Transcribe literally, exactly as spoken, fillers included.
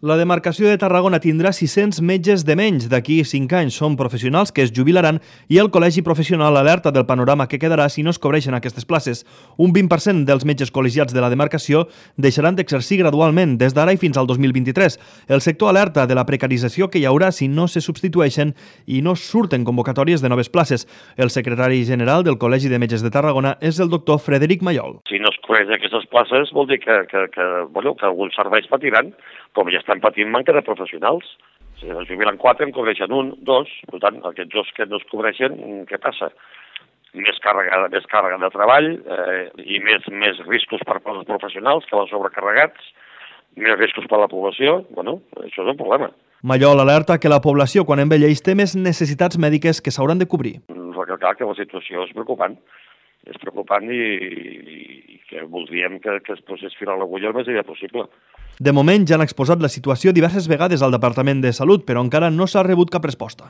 La demarcació de Tarragona tindrà sis-cents metges de menys d'aquí cinc anys. Són professionals que es jubilaran i el Col·legi Professional alerta del panorama que quedarà si no es cobreixen aquestes places. Un vint per cent dels metges col·legiats de la demarcació deixaran d'exercir gradualment des d'ara i fins al dos mil vint-i-tres. El sector alerta de la precarització que hi haurà si no se substitueixen i no surten convocatòries de noves places. El secretari general del Col·legi de Metges de Tarragona és el doctor Frederic Mallol. Si no es cobreixen aquestes places vol dir que, que, que, bueno, que alguns serveis patiran, com ja estan patint manca de professionals. Si es jubilen quatre, en cobreixen un, dos, per tant, aquests dos que no es cobreixen, què passa? Més càrrega, més càrrega de treball eh, i més, més riscos per als professionals que van sobrecarregats, més riscos per a la població, bueno, això és un problema. Mallol alerta que la població, quan envelleix, té més necessitats mèdiques que s'hauran de cobrir. Recalcar que la situació és preocupant. És preocupant i, i que voldríem que, que es posés fil a l'agulla el més aviat possible. De moment ja han exposat la situació diverses vegades al Departament de Salut, però encara no s'ha rebut cap resposta.